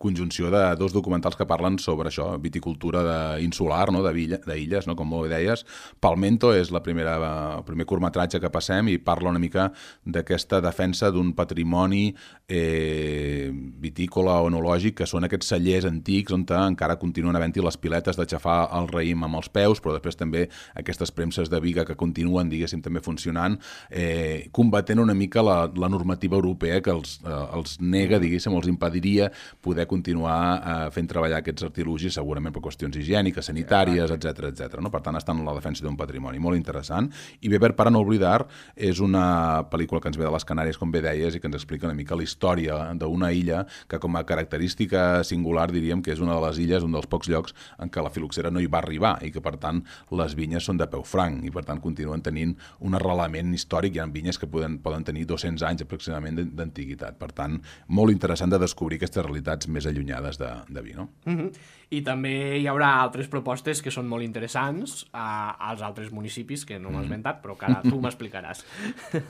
conjunció de dos documentals que parlen sobre això, viticultura de, insular, no? d'illes, no? Com molt bé deies. Palmento és la primera, el primer curtmetratge que passem i parla una mica d'aquesta defensa d'un patrimoni eh, vitícola o enològic, que són aquests cellers antics on encara continuen havent-hi les piletes de xafar el el raïm amb els peus, però després també aquestes premses de biga que continuen, diguéssim, també funcionant, eh, combatent una mica la, la normativa europea que els, eh, els nega, diguéssim, els impediria poder continuar eh, fent treballar aquests artilugis, segurament per qüestions higièniques, sanitàries, etcètera, etcètera. No? Per tant, estan en la defensa d'un patrimoni molt interessant. I Beber para no olvidar és una pel·lícula que ens ve de les Canàries, com bé deies, i que ens explica una mica la història d'una illa que, com a característica singular, diríem que és una de les illes, un dels pocs llocs en què la filoxera no hi va arribar i que, per tant, les vinyes són de peu franc i, per tant, continuen tenint un arrelament històric. Hi ha vinyes que poden, poden tenir dos-cents anys aproximadament d'antiguitat. Per tant, molt interessant de descobrir aquestes realitats més allunyades de, de vi, no? Mm-hmm. I també hi haurà altres propostes que són molt interessants a, als altres municipis que no m'has esmentat, però que ara tu m'explicaràs.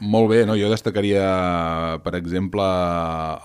Molt bé, no? Jo destacaria, per exemple,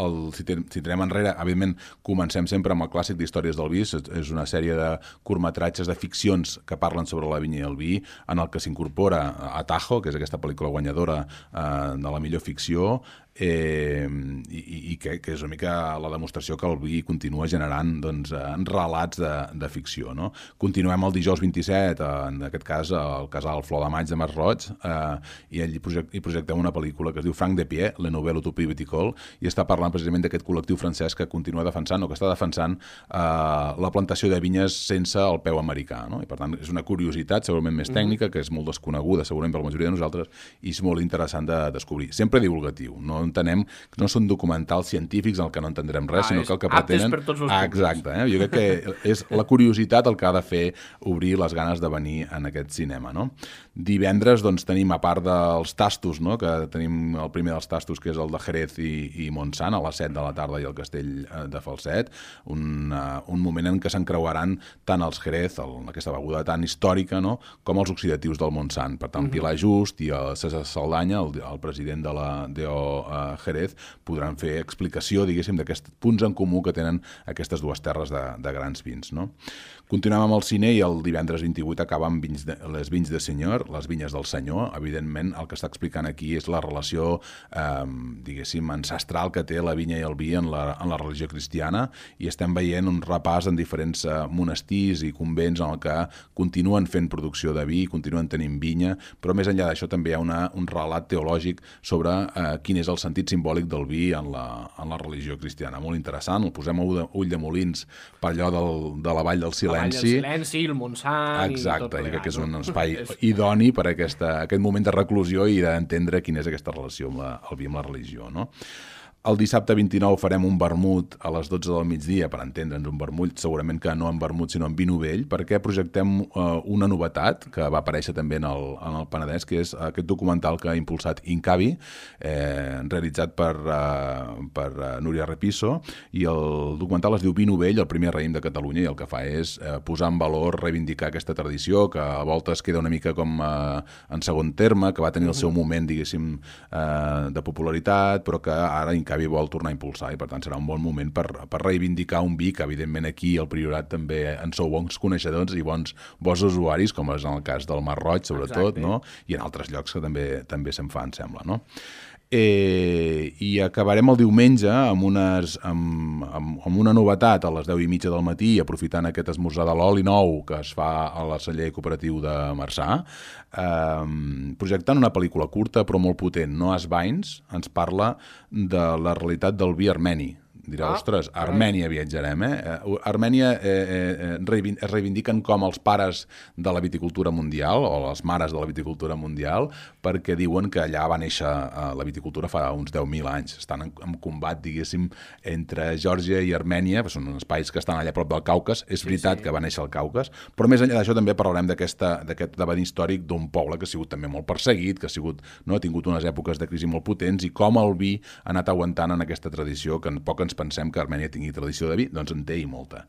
el, si, ten, si tenem enrere, evidentment comencem sempre amb el clàssic d'Històries del vi, és una sèrie de curtmetratges de ficcions que parlen sobre la vinya i el vi, en el que s'incorpora Atajo, que és aquesta pel·lícula guanyadora eh, de la millor ficció, Eh, i, i que, que és una mica la demostració que el vi continua generant doncs, relats de, de ficció. No? Continuem el dijous vint-i-set, en aquest cas el casal Flor de Maig de Masroig, eh, i allí project, hi projectem una pel·lícula que es diu Franc de Pied, la novel·la Utopie viticole, i està parlant precisament d'aquest col·lectiu francès que continua defensant o que està defensant eh, la plantació de vinyes sense el peu americà. No? I per tant és una curiositat segurament més tècnica, que és molt desconeguda segurament per la majoria de nosaltres, i és molt interessant de descobrir. Sempre divulgatiu, no entenem que no són documentals científics en el que no entendrem res, ah, sinó que el que pretenen... Per tots els ah, exacte, eh? Jo crec que és la curiositat el que ha de fer obrir les ganes de venir en aquest cinema, no? Divendres, doncs, tenim, a part dels tastos, no? Que tenim el primer dels tastos, que és el de Jerez i, i Montsant, a les set de la tarda, i el castell de Falset, un, uh, un moment en què s'encreuaran tant els Jerez, el, aquesta beguda tan històrica, no? Com els oxidatius del Montsant. Per tant, mm-hmm. Pilar Just i el César Saldanya, el, el president de la D O uh, Jerez, podran fer explicació, diguéssim, d'aquests punts en comú que tenen aquestes dues terres de, de grans vins, no? Continuem amb el cine i el divendres vint-i-vuit acaba amb vins de, les vins de senyor, les vinyes del senyor. Evidentment, el que està explicant aquí és la relació, eh, diguéssim, ancestral que té la vinya i el vi en la, en la religió cristiana, i estem veient un repàs en diferents eh, monestirs i convents en el que continuen fent producció de vi, continuen tenint vinya, però més enllà d'això també hi ha una, un relat teològic sobre eh, quin és el sentit simbòlic del vi en la, en la religió cristiana. Molt interessant, el posem a ull de, ull de molins per allò del, de la Vall del Silenci. La Vall del Silenci, el Montsant... Exacte, i tot plegat, i crec que és un no? espai idoni per a aquesta, aquest moment de reclusió i d'entendre quina és aquesta relació amb la, el vi amb la religió, no? El dissabte vint-i-nou farem un vermut a les dotze del migdia, per entendre'ns, un vermut, segurament que no en vermut, sinó en vi novell, perquè projectem uh, una novetat que va aparèixer també en el, en el Penedès, que és aquest documental que ha impulsat Incavi, eh, realitzat per, uh, per uh, Núria Repiso, i el documental es diu Vi novell, el primer raïm de Catalunya, i el que fa és uh, posar en valor, reivindicar aquesta tradició, que a voltes queda una mica com uh, en segon terme, que va tenir el seu moment, diguéssim, uh, de popularitat, però que ara Incavi Incavi vol tornar a impulsar, i per tant serà un bon moment per, per reivindicar un vi que evidentment aquí al Priorat també en sou bons coneixedors i bons, bons usuaris, com és en el cas del Mar Roig sobretot, no? I en altres llocs que també també se'n fa, em sembla, no? Eh, i acabarem el diumenge amb, unes, amb, amb, amb una novetat a les deu i mitja del matí, aprofitant aquest esmorzar de l'oli nou que es fa a la celler cooperatiu de Marçà, eh, projectant una pel·lícula curta però molt potent. Noah's Vines ens parla de la realitat del vi armeni. Dirà, ah, ostres, a Armènia viatjarem, eh? Armènia eh, eh, es reivindiquen com els pares de la viticultura mundial, o les mares de la viticultura mundial, perquè diuen que allà va néixer eh, la viticultura fa uns deu mil anys. Estan en, en combat, diguéssim, entre Geòrgia i Armènia, són espais que estan allà a prop del Caucas, és veritat sí, sí. que va néixer al Caucas, però més enllà d'això també parlarem d'aquest debat històric d'un poble que ha sigut també molt perseguit, que ha, sigut, no, ha tingut unes èpoques de crisi molt potents, i com el vi ha anat aguantant en aquesta tradició que en poc ens pensem que Armènia tingui tradició de vi, doncs en té i molta.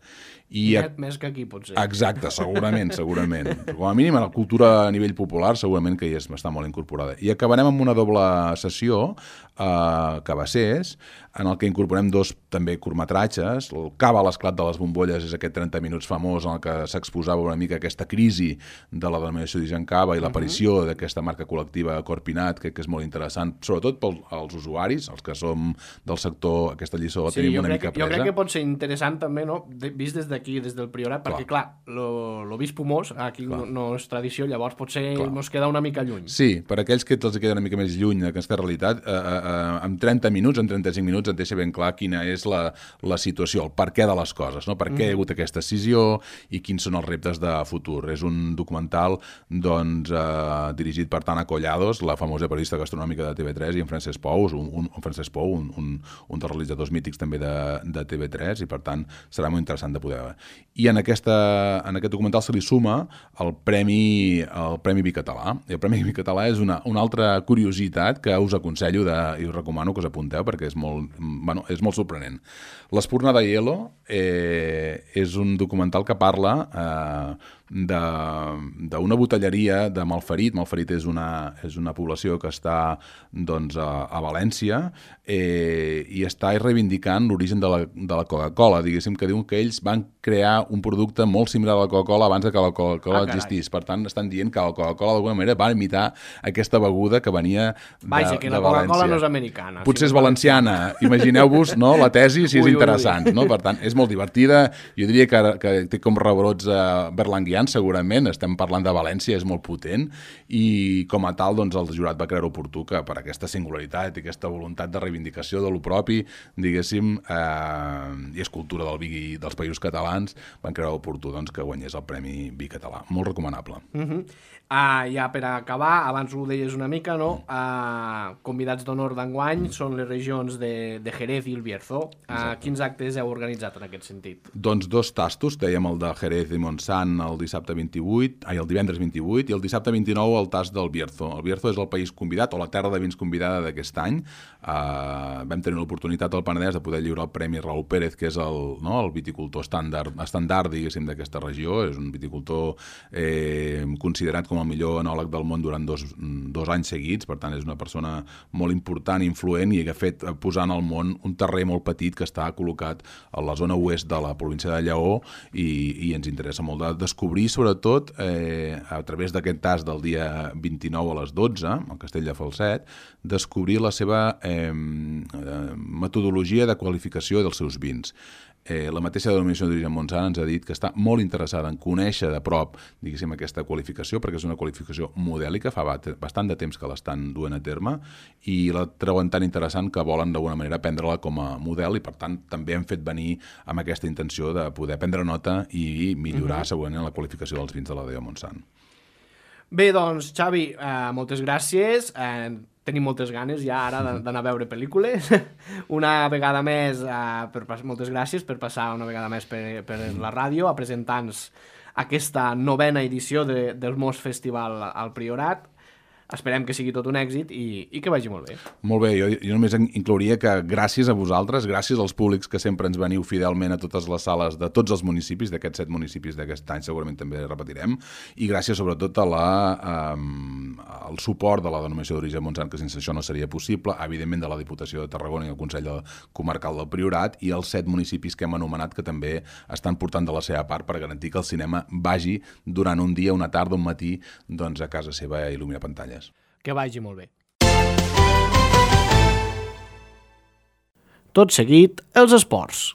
I a... Més que aquí, potser. Exacte, segurament, segurament. Com a mínim, a la cultura a nivell popular, segurament que hi està molt incorporada. I acabarem amb una doble sessió, eh, Cabassers, en el que incorporem dos també curtmetratges. El Cava a l'esclat de les bombolles és aquest trenta minuts famós en el que s'exposava una mica aquesta crisi de la denominació d'origen Cava i l'aparició uh-huh. d'aquesta marca col·lectiva Corpinat, que, que és molt interessant, sobretot pels usuaris, els que som del sector, aquesta lliçó de la sí, tenim jo una crec, mica que, jo presa. crec que pot ser interessant també, no? De, vist des d'aquí, des del Priorat, clar. perquè clar, lo, lo vist pomós, aquí no, no és tradició, llavors potser clar. Ens queda una mica lluny. Sí, per aquells que els queda una mica més lluny d'aquesta realitat, eh, eh, en trenta minuts, en trenta-cinc minuts, et deixa ben clar quina és la, la situació, el per què de les coses, no? Per què mm. hi ha hagut aquesta decisió i quins són els reptes de futur. És un documental doncs, eh, dirigit per Tana Collados, la famosa periodista gastronòmica de T V tres, i en Francesc Pou, un, un, un Francesc Pou, un, un, un dels realitzadors mítics també de, de T V tres, i per tant serà molt interessant de poder veure. I en, aquesta, en aquest documental se li suma el Premi, el Premi Bicatalà. I el Premi Bicatalà és una, una altra curiositat que us aconsello de, i us recomano que us apunteu perquè és molt, bueno, és molt sorprenent. L'Espurna de Hielo eh, és un documental que parla eh, d'una botelleria de Malferit. Malferit és una, és una població que està doncs, a, a València eh, i està reivindicant l'origen de la, de la Coca-Cola. Diguéssim que diuen que ells van crear un producte molt similar a la Coca-Cola abans que la Coca-Cola ah, existís. Per tant, estan dient que la Coca-Cola d'alguna manera va imitar aquesta beguda que venia de, Vaja, que la Coca-Cola no és americana. Potser és valenciana. Imagineu-vos, no?, la tesi, si és ui, interessant. Ui, ui. No? Per tant, és molt divertida. Jo diria que, que té com rebrots eh, berlanguians, segurament. Estem parlant de València, és molt potent. I com a tal, doncs, el jurat va creure oportú que per aquesta singularitat i aquesta voluntat de reivindicació de lo propi, diguéssim, eh, i és cultura del vi dels països catalans, van creure oportú doncs, que guanyés el Premi Vi Català. Molt recomanable. Uh -huh. Uh, ja per acabar, abans ho deies una mica, no? Uh, convidats d'honor d'enguany són les regions de, de Jerez i el Bierzo. Uh, quins actes heu organitzat en aquest sentit? Doncs dos tastos, dèiem el de Jerez i Montsant el dissabte vint-i-vuit, ai, el divendres vint-i-vuit, i el dissabte vint-i-nou el tast del Bierzo. El Bierzo és el país convidat, o la terra de vins convidada d'aquest any. Uh, vam tenir l'oportunitat al Penedès de poder lliurar el Premi Raúl Pérez, que és el, no, el viticultor estàndard, estàndard diguéssim, d'aquesta regió. És un viticultor eh, considerat com el millor enòleg del món durant dos, dos anys seguits, per tant és una persona molt important, influent, i que ha fet posar al món un terrer molt petit que està col·locat a la zona oest de la província de Lleó, i, i ens interessa molt de descobrir, sobretot, eh, a través d'aquest tast del dia vint-i-nou a les dotze, al Castell de Falset, descobrir la seva eh, metodologia de qualificació dels seus vins. Eh, la mateixa denominació d'origen Montsant ens ha dit que està molt interessada en conèixer de prop, diguéssim, aquesta qualificació, perquè és una qualificació modèlica, fa bastant de temps que l'estan duent a terme, i la treuen tan interessant que volen d'alguna manera prendre-la com a model, i per tant també hem fet venir amb aquesta intenció de poder prendre nota i millorar uh-huh. segurament la qualificació dels vins de la D O Montsant. Bé, doncs, Xavi, eh, moltes gràcies. Eh, tenim moltes ganes ja ara d'anar a veure pel·lícules. Una vegada més, eh, per, moltes gràcies per passar una vegada més per, per la ràdio a presentar-nos aquesta novena edició de, del Mos Festival al Priorat. Esperem que sigui tot un èxit i, i que vagi molt bé. Molt bé, jo, jo només inclouria que gràcies a vosaltres, gràcies als públics que sempre ens veniu fidelment a totes les sales de tots els municipis, d'aquests set municipis d'aquest any, segurament també repetirem, i gràcies sobretot a la, um, al suport de la denominació d'origen Montsant, que sense això no seria possible, evidentment de la Diputació de Tarragona i el Consell Comarcal del Priorat, i els set municipis que hem anomenat que també estan portant de la seva part per garantir que el cinema vagi durant un dia, una tarda, un matí, doncs a casa seva a il·luminar pantalles. Que vagi molt bé. Tot seguit, els esports.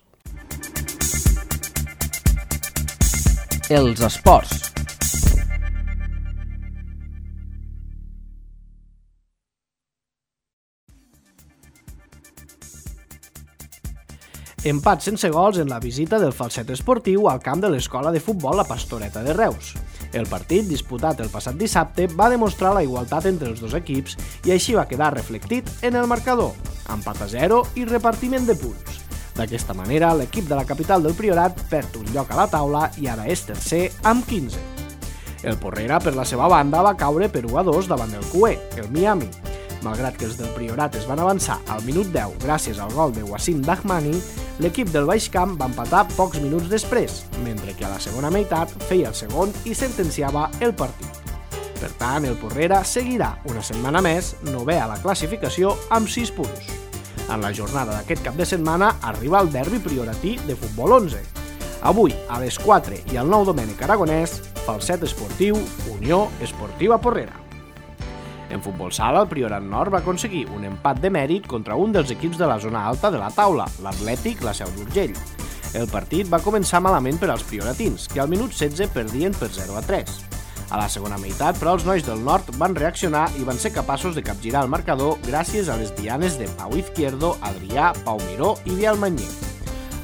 Els esports. Empat sense gols en la visita del Falset Esportiu al camp de l'escola de futbol La Pastoreta de Reus. El partit, disputat el passat dissabte, va demostrar la igualtat entre els dos equips i així va quedar reflectit en el marcador, empat a zero i repartiment de punts. D'aquesta manera, l'equip de la capital del Priorat perd un lloc a la taula i ara és tercer amb quinze. El Porrera, per la seva banda, va caure per u a dos davant del Cué, el Miami. Malgrat que els del Priorat es van avançar al minut deu gràcies al gol de Wassim Dahmani, l'equip del Baix Camp va empatar pocs minuts després, mentre que a la segona meitat feia el segon i sentenciava el partit. Per tant, el Porrera seguirà una setmana més novè a la classificació amb sis punts. En la jornada d'aquest cap de setmana arriba el derbi prioratí de futbol onze. Avui, a les quatre i al nou Domènec Aragonès, Falset Esportiu, Unió Esportiva Porrera. En futbol sala, el Priorat Nord va aconseguir un empat de mèrit contra un dels equips de la zona alta de la taula, l'Atlètic La Seu d'Urgell. El partit va començar malament per als prioratins, que al minut setze perdien per zero a tres. A la segona meitat, però, els nois del nord van reaccionar i van ser capaços de capgirar el marcador gràcies a les dianes de Pau Izquierdo, Adrià, Pau Miró i Biel Manyer.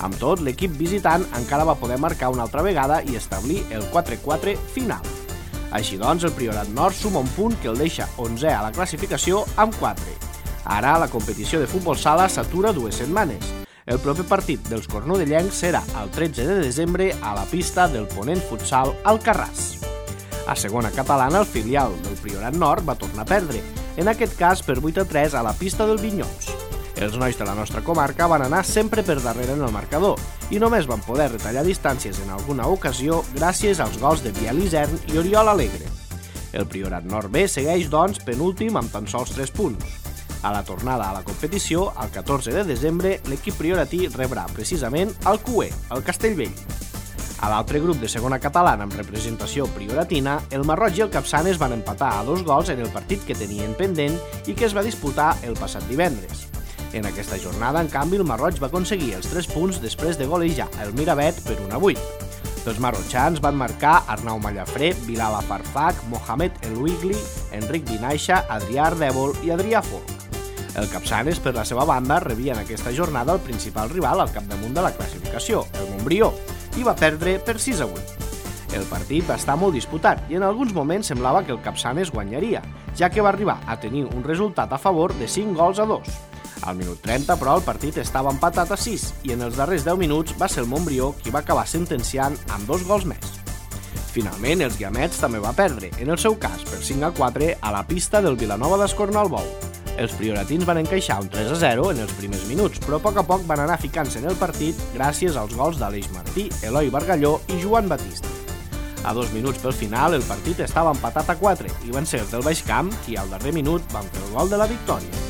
Amb tot, l'equip visitant encara va poder marcar una altra vegada i establir el quatre quatre final. Així doncs, el Priorat Nord suma un punt que el deixa onzè a la classificació amb quatre. Ara, la competició de futbol sala s'atura dues setmanes. El proper partit dels cornudellencs serà el tretze de desembre a la pista del Ponent Futsal Alcarràs. A segona catalana, el filial del Priorat Nord va tornar a perdre, en aquest cas per vuit a tres a la pista del Vinyols. Els nois de la nostra comarca van anar sempre per darrere en el marcador i només van poder retallar distàncies en alguna ocasió gràcies als gols de Biel Isern i Oriol Alegre. El Priorat Nord B segueix, doncs, penúltim amb tan sols tres punts. A la tornada a la competició, el catorze de desembre, l'equip prioratí rebrà precisament el Q E, el Castellvell. A l'altre grup de segona catalana amb representació prioratina, el Marroig i el Capçanes van empatar a dos gols en el partit que tenien pendent i que es va disputar el passat divendres. En aquesta jornada, en canvi, el Marroig va aconseguir els tres punts després de golejar el Miravet per un a vuit. Els marrotxans van marcar Arnau Mallafré, Bilal Afarfak, Mohamed El Wigli, Enric Vinaixa, Adrià Ardèvol i Adrià Folk. El Capçanes, per la seva banda, rebia en aquesta jornada el principal rival al capdamunt de la classificació, el Montbrió, i va perdre per sis a vuit. El partit va estar molt disputat i en alguns moments semblava que el Capçanes guanyaria, ja que va arribar a tenir un resultat a favor de cinc gols a dos. Al minut trenta, però, el partit estava empatat a sis i en els darrers deu minuts va ser el Montbrió qui va acabar sentenciant amb dos gols més. Finalment, els Guiamets també va perdre, en el seu cas per cinc a quatre, a la pista del Vilanova d'Escornalbou. Els prioratins van encaixar un tres a zero en els primers minuts, però a poc a poc van anar ficant-se en el partit gràcies als gols d'Aleix Martí, Eloi Bargalló i Joan Batista. A dos minuts pel final, el partit estava empatat a quatre i van ser els del Baix Camp qui al darrer minut van fer el gol de la victòria.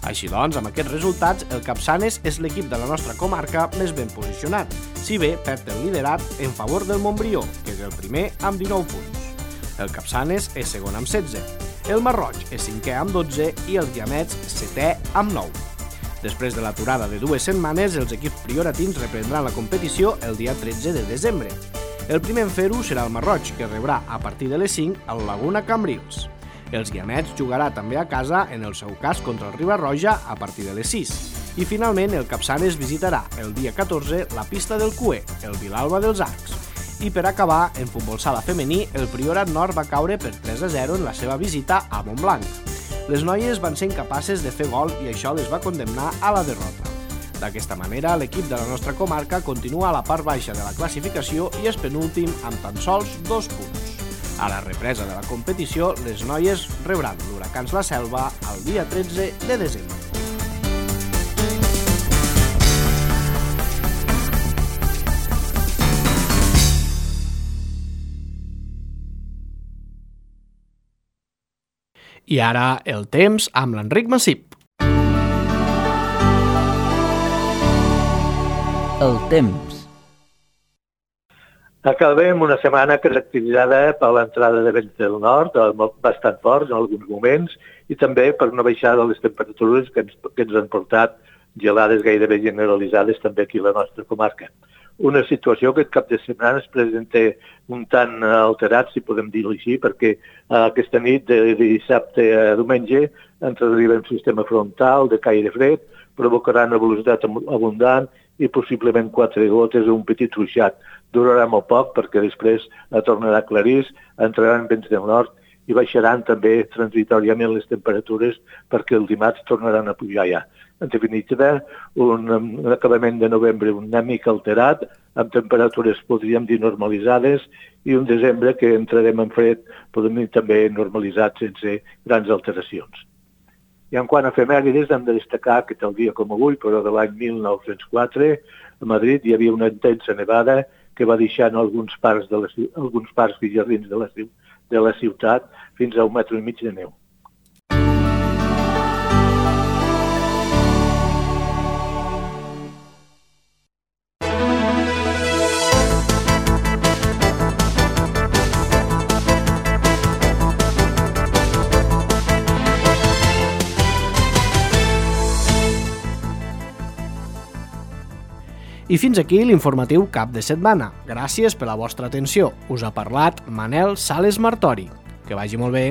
Així doncs, amb aquests resultats, el Capçanes és l'equip de la nostra comarca més ben posicionat, si bé perd el liderat en favor del Montbrió, que és el primer amb dinou punts. El Capçanes és segon amb setze, el Marroig és cinquè amb dotze i els Guiamets setè amb nou. Després de l'aturada de dues setmanes, els equips prioratins reprendran la competició el dia tretze de desembre. El primer en fer-ho serà el Marroig, que rebrà a partir de les cinc al Laguna Cambrils. Els Guiamets jugarà també a casa, en el seu cas contra el Riba-roja, a partir de les sis. I finalment el Capçanes visitarà el dia catorze la pista del Q E, el Vilalba dels Arcs. I per acabar, en futbol sala femení, el Priorat Nord va caure per tres a zero en la seva visita a Montblanc. Les noies van ser incapaces de fer gol i això les va condemnar a la derrota. D'aquesta manera, l'equip de la nostra comarca continua a la part baixa de la classificació i és penúltim amb tan sols dos punts. A la represa de la competició, les noies rebran l'Huracans La Selva el dia tretze de desembre. I ara el temps amb l'Enric Massip. El temps. Acabem una setmana caracteritzada per l'entrada de vents del nord, bastant forts en alguns moments, i també per una baixada de les temperatures que ens, que ens han portat gelades gairebé generalitzades també aquí a la nostra comarca. Una situació que aquest cap de setmana es presenta un tant alterat, si podem dir-ho així, perquè aquesta nit de dissabte a diumenge ens arriba un sistema frontal de caire fred, provocarà una velocitat abundant i possiblement quatre gotes o un petit ruixat. Durarà molt poc perquè després tornarà clarís, entraran vents del nord i baixaran també transitoriament les temperatures perquè el dimarts tornaran a pujar ja. En definitiva, un, un acabament de novembre una mica alterat, amb temperatures, podríem dir, normalitzades, i un desembre que entrarem en fred, podem dir també normalitzat sense grans alteracions. I en quant a efemèrides, hem de destacar que tal dia com avui, però de l'any mil nou-cents quatre, a Madrid hi havia una intensa nevada que va deixar en alguns parcs, de la, alguns parcs i jardins de la, de la ciutat fins a un metre i mig de neu. I fins aquí l'informatiu cap de setmana. Gràcies per la vostra atenció. Us ha parlat Manel Sales Martori. Que vagi molt bé.